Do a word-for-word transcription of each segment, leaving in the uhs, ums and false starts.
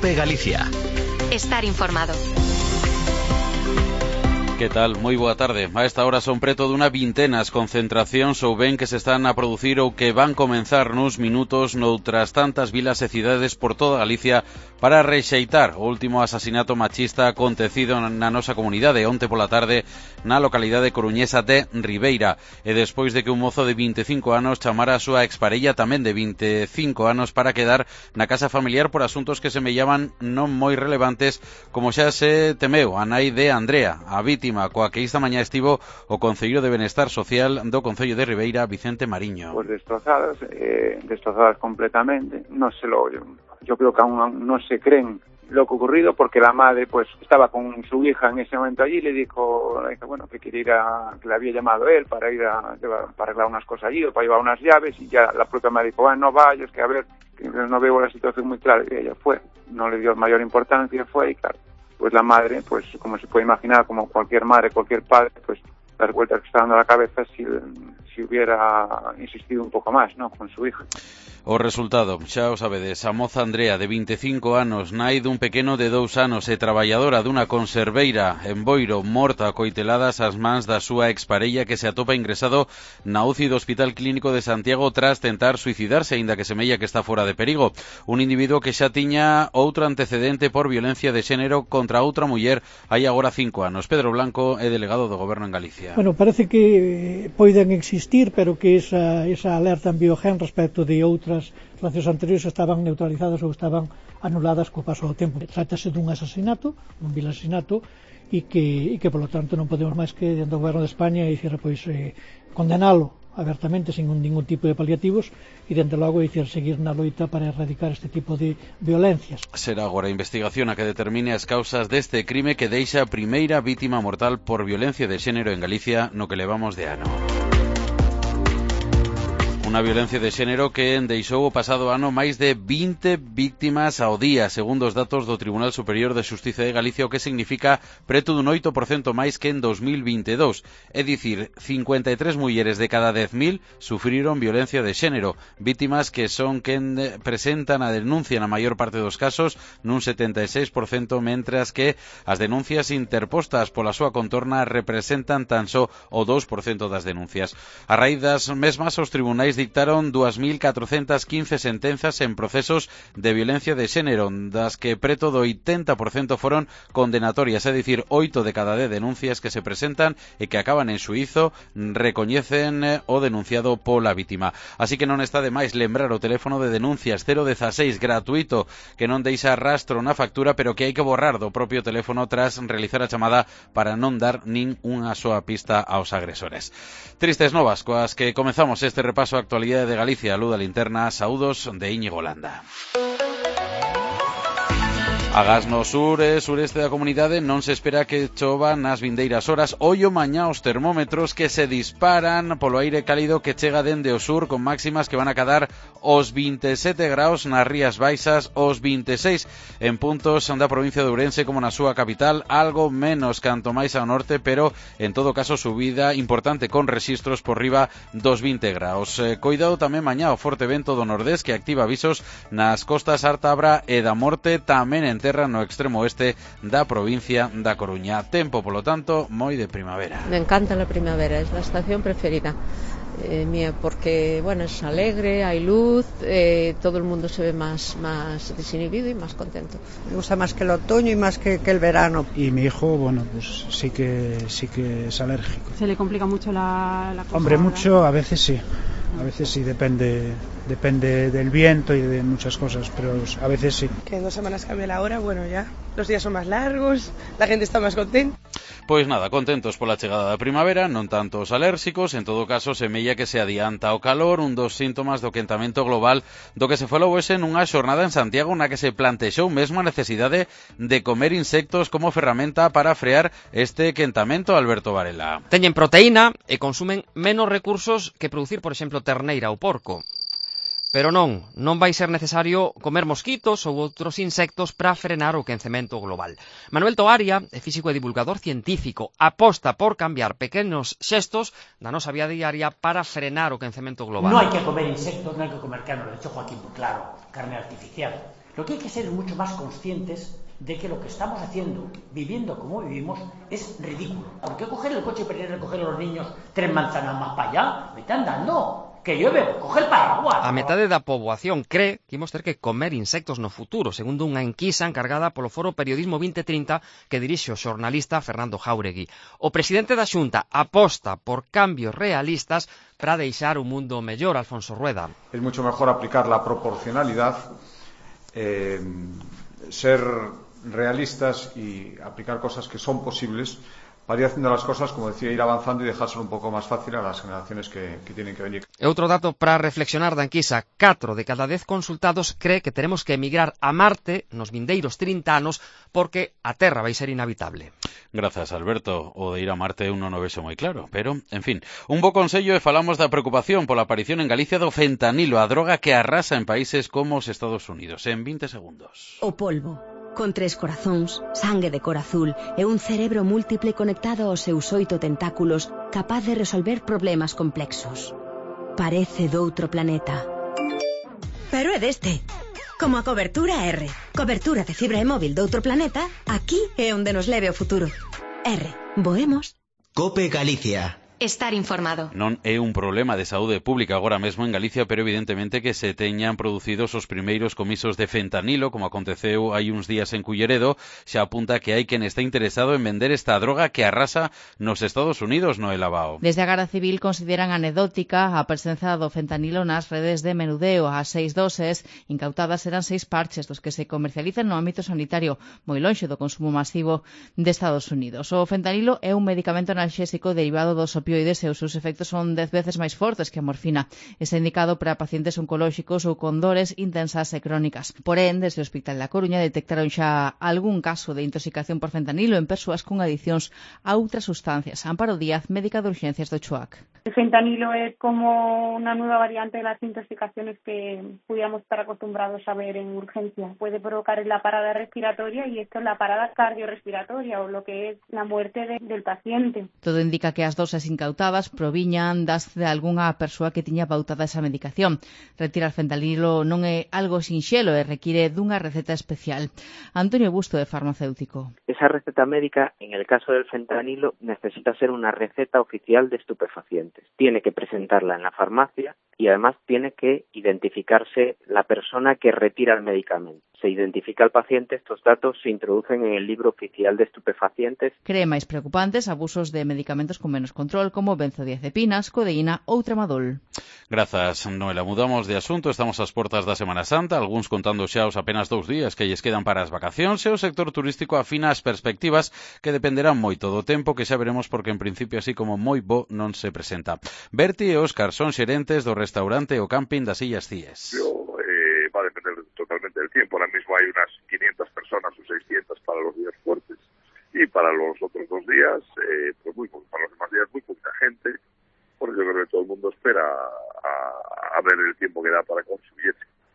COPE Galicia. Estar informado. Que tal? Moi boa tarde. A esta hora son preto dunha vintena as concentracións ou ben que se están a producir ou que van comenzar nuns minutos noutras tantas vilas e cidades por toda Galicia para rexeitar o último asasinato machista acontecido na nosa comunidade onte pola tarde na localidade coruñesa de Ribeira, e despois de que un mozo de vinte e cinco anos chamara a súa exparella tamén de vinte e cinco anos para quedar na casa familiar por asuntos que semellaban non moi relevantes, como xa se temeu a nai de Andrea, a vítima coa que esta mañá estivo o Concello de Benestar Social do Concello de Ribeira, Vicente Mariño. Pues destrozadas, eh, destrozadas completamente. No se lo, yo, yo creo que aún no se creen lo que ha ocurrido, porque la madre pues estaba con su hija en ese momento allí y le dijo, le dijo bueno, que quería ir a, que le había llamado él para ir a, para arreglar unas cosas allí o para llevar unas llaves, y ya la propia madre dijo, bueno, no vayas, que a ver, que no veo la situación muy clara, y ella fue, no le dio mayor importancia, fue, y claro, pues la madre, pues como se puede imaginar, como cualquier madre, cualquier padre, pues las vueltas que está dando a la cabeza si, si hubiera insistido un poco más, ¿no?, con su hija. O resultado, xa o sabedes, a moza Andrea, de vinte e cinco anos, nai dun pequeno de dous anos e traballadora dunha conserveira en Boiro, morta a coiteladas ás mans da súa exparella, que se atopa ingresado na U C I do Hospital Clínico de Santiago tras tentar suicidarse, aínda que semella que está fora de perigo. Un individuo que xa tiña outro antecedente por violencia de xénero contra outra muller hai agora cinco anos. Pedro Blanco é delegado do Goberno en Galicia. Bueno, parece que poden existir, pero que esa, esa alerta en biogen respecto de outras as relacións anteriores estaban neutralizadas ou estaban anuladas co paso do tempo. Trátase dun asasinato, un vil asasinato, e que, e que polo tanto non podemos máis que, dentro do Goberno de España, dicir, pois, eh, condenalo abertamente, sin ningún tipo de paliativos, e, dentro logo, dicir, seguir na loita para erradicar este tipo de violencias. Será agora a investigación a que determine as causas deste crime que deixa a primeira vítima mortal por violencia de xénero en Galicia no que levamos de ano. Unha violencia de xénero que deixou o pasado ano máis de vinte víctimas ao día, segundo os datos do Tribunal Superior de Xustiza de Galicia, o que significa preto dun oito por cento máis que en dos mil vinte e dous. É dicir, cincuenta e tres mulleres de cada dez mil sufriron violencia de xénero, vítimas que son quen presentan a denuncia na maior parte dos casos, nun setenta e seis por cento, mentras que as denuncias interpostas pola súa contorna representan tan só o dous por cento das denuncias. A raíz das mesmas, os tribunais dictaron dúas mil catrocentas quince sentenzas en procesos de violencia de xénero, das que preto do oitenta por cento foron condenatorias, é dicir, oito de cada dez denuncias que se presentan e que acaban en xuízo recoñecen o denunciado pola vítima. Así que non está de máis lembrar o teléfono de denuncias cero dieciséis gratuito, que non deixa rastro na factura, pero que hai que borrar do propio teléfono tras realizar a chamada para non dar nin unha soa pista aos agresores. Tristes novas coas que comezamos este repaso a actualidade de Galicia. Luz da Linterna, saúdos de Íñigo Landa. Agás no sur e sureste da comunidade non se espera que chova nas vindeiras horas. Ollo mañá os termómetros que se disparan polo aire cálido que chega dende o sur, con máximas que van a cadar os vinte e sete graus nas Rías Baixas, os vinte e seis en puntos da provincia de Ourense como na súa capital, algo menos canto máis ao norte, pero en todo caso subida importante con rexistros por riba dos vinte graus. Eh, coidado tamén mañá o forte vento do nordés que activa avisos nas costas Artabra e da Morte, tamén en terra no extremo oeste da provincia da Coruña. Tempo, polo tanto, moi de primavera. Me encanta la primavera, es la estación preferida eh, mía, porque bueno, es alegre, hay luz, eh, todo el mundo se ve más, más desinhibido y más contento. Me gusta más que el otoño y más que, que el verano. Y mi hijo, bueno, pues sí que sí que es alérgico. ¿Se le complica mucho la, la cosa? Hombre, mucho, a veces sí. A veces sí, depende depende del viento y de muchas cosas, pero a veces sí. Que en dos semanas cambia la hora, bueno, ya los días son más largos, la gente está más contenta. Pois nada, contentos pola chegada da primavera, non tanto os alérxicos, en todo caso semella que se adianta o calor, un dos síntomas do quentamento global do que se falou hoxe nunha xornada en Santiago na que se plantexou mesmo a necesidade de comer insectos como ferramenta para frear este quentamento. Alberto Varela. Teñen proteína e consumen menos recursos que producir, por exemplo, terneira ou porco. Pero non, non vai ser necesario comer mosquitos ou outros insectos para frenar o quencemento global. Manuel Toaria, físico e divulgador científico, aposta por cambiar pequenos xestos na nosa vida diaria para frenar o quencemento global. Non hai que comer insectos, non hai que comer carne, lo ha dicho Joaquín, claro, carne artificial. Lo que hay que ser es mucho más conscientes de que lo que estamos haciendo, viviendo como vivimos, es ridículo. Porque coger el coche para ir a recoger a los niños tres manzanas más para allá, vete andando, que llueve, coger paraguas. A metade da poboación cree que imos ter que comer insectos no futuro, segundo unha enquisa encargada polo Foro Periodismo vinte trinta que dirixe o xornalista Fernando Jáuregui. O presidente da Xunta aposta por cambios realistas para deixar un mundo mellor, Alfonso Rueda. Es mucho mejor aplicar la proporcionalidad, eh, ser realistas y aplicar cosas que son posibles para ir haciendo las cosas, como decía, ir avanzando y dejárselo un poco más fácil a las generaciones que, que tienen que venir. E outro dato para reflexionar da enquisa, catro de cada dez consultados cree que teremos que emigrar a Marte nos vindeiros trinta anos porque a Terra vai ser inhabitable. Grazas, Alberto. O de ir a Marte uno non vexo moi claro, pero, en fin, un bo consello e falamos da preocupación pola aparición en Galicia do fentanilo, a droga que arrasa en países como os Estados Unidos. En vinte segundos. O polvo. Con tres corazóns, sangue de cor azul e un cerebro múltiple conectado aos seus oito tentáculos, capaz de resolver problemas complexos. Parece doutro planeta. Pero é deste. Como a cobertura R. Cobertura de fibra e móvil doutro planeta, aquí é onde nos leve o futuro. R. Voemos. Cope Galicia. Estar informado. Non é un problema de saúde pública agora mesmo en Galicia, pero evidentemente que se teñan producido os primeiros comisos de fentanilo, como aconteceu hai uns días en Culleredo, xa apunta que hai quen está interesado en vender esta droga que arrasa nos Estados Unidos, Noel Abao. Desde a Garda Civil consideran anecdótica a presenza do fentanilo nas redes de menudeo. As seis doses incautadas eran seis parches dos que se comercializan no ámbito sanitario, moi lonxe do consumo masivo de Estados Unidos. O fentanilo é un medicamento analxésico derivado dos opioides e os seus efectos son dez veces máis fortes que a morfina. Está indicado para pacientes oncolóxicos ou con dores intensas e crónicas. Porén, desde o Hospital da Coruña detectaron xa algún caso de intoxicación por fentanilo en persoas con adiccións a outras sustancias. Amparo Díaz, médica de urgencias do Choac. El fentanilo es como una nueva variante de las intoxicaciones que pudiéramos estar acostumbrados a ver en urgencia. Puede provocar la parada respiratoria y esto es la parada cardiorrespiratoria o lo que es la muerte de, del paciente. Todo indica que as doses incautadas proviñan das de algunha persoa que tiña pautada esa medicación. Retirar fentanilo non é algo sinxelo e require dunha receta especial. Antonio Busto, de farmacéutico. Esa receta médica, en el caso del fentanilo, necesita ser una receta oficial de estupefacientes. Tiene que presentarla en la farmacia y además tiene que identificarse la persona que retira el medicamento. Se identifica al paciente, estos datos se introducen en el libro oficial de estupefacientes. Cree máis preocupantes abusos de medicamentos con menos control como benzodiazepinas, codeína ou tramadol. Grazas, Noela. Mudamos de asunto, estamos ás portas da Semana Santa, algúns contando xa os apenas dous días que lles quedan para as vacacións e o sector turístico afina as perspectivas que dependerán moito do tempo que xa veremos porque en principio así como moi bo non se presenta. Berti e Óscar son xerentes do restaurante o camping das Illas Cíes. Yo, eh, va a depender totalmente del tiempo. Ahora mismo hay unas quinientas personas o seiscientas para los días fuertes y para los otros dos días, eh, pues muy para los demás días muy poca gente. Por eso yo creo que todo el mundo espera a, a ver el tiempo que da para consumir.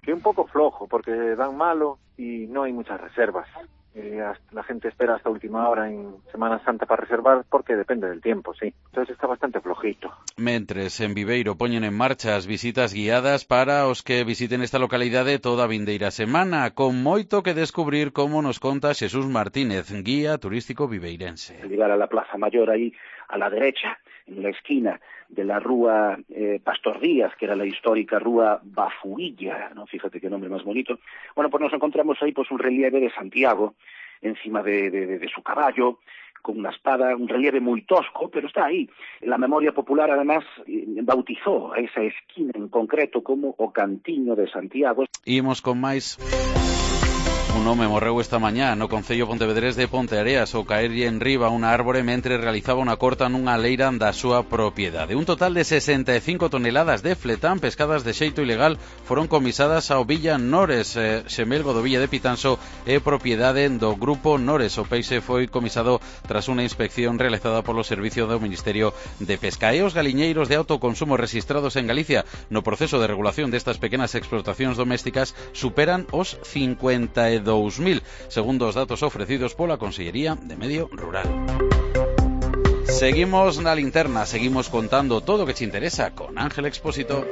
Que un poco flojo porque dan malo y no hay muchas reservas. Eh, la gente espera hasta última hora en Semana Santa para reservar porque depende del tiempo, sí. Entonces está bastante flojito. Mentres en Viveiro poñen en marcha as visitas guiadas para os que visiten esta localidade toda a vindeira semana, con moito que descubrir, como nos conta Xesús Martínez, guía turístico viveirense. Llegar a la Plaza Mayor ahí a la derecha, en la esquina de la rúa eh, Pastor Díaz, que era la histórica rúa Bafuilla, ¿no? Fíjate qué nombre más bonito. Bueno, pues nos encontramos ahí pues un relieve de Santiago encima de, de, de su caballo, con una espada, un relieve muy tosco, pero está ahí. La memoria popular, además, bautizó a esa esquina en concreto como o Cantiño de Santiago. Imos con máis... Un home morreu esta mañá no concello pontevedrés de Ponteareas ao caerlle en riba unha árbore mentre realizaba unha corta nunha leira da súa propiedade. Un total de sesenta e cinco toneladas de fletán pescadas de xeito ilegal foron comisadas ao Villa Nores. Eh, Xemelgo do Villa de Pitanso é propiedade do Grupo Nores. O peixe foi comisado tras unha inspección realizada polo Servicio do Ministerio de Pesca. E os galiñeiros de autoconsumo registrados en Galicia no proceso de regulación destas pequenas explotacións domésticas superan os cincuenta e dous mil, segundo os datos ofrecidos pola Consellería de Medio Rural. Seguimos na linterna, seguimos contando todo o que te interesa con Ángel Expósito.